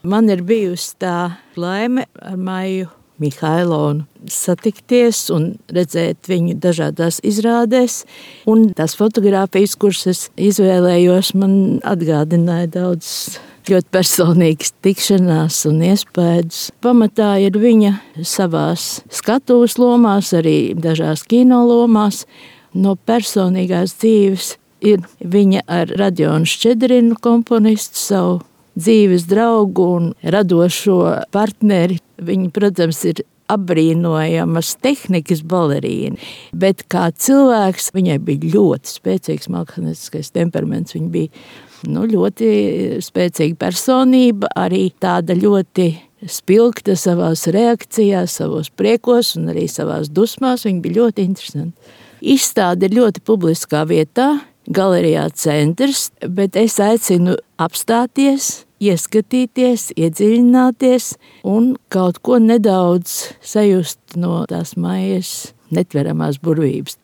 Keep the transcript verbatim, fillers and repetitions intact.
Man ir bijusi tā laime ar Maiju Mihailovu satikties un redzēt viņu dažādās izrādēs. Un tās fotogrāfijas, kuras es izvēlējos, man atgādināja daudz ļoti personīgas tikšanās un iespējas. Pamatā ir viņa savās skatuves lomās, arī dažās kino lomās. No personīgās dzīves ir viņa ar Radionu Šķedrinu komponistu, savu dzīves draugu un radošo partneri. Viņa, protams, ir apbrīnojamas tehnikas balerīna, bet kā cilvēks viņai bija ļoti spēcīgs mākslinieckais temperaments. Viņa bija nu, ļoti spēcīga personība, arī tāda ļoti spilgta savās reakcijās, savos priekos un arī savās dusmās. Viņa bija ļoti interesanta. Izstāde ir ļoti publiskā vietā, Galerijā Centrs, bet es aicinu apstāties, ieskatīties, iedziļināties un kaut ko nedaudz sajust no tās Maijas netveramās burvības.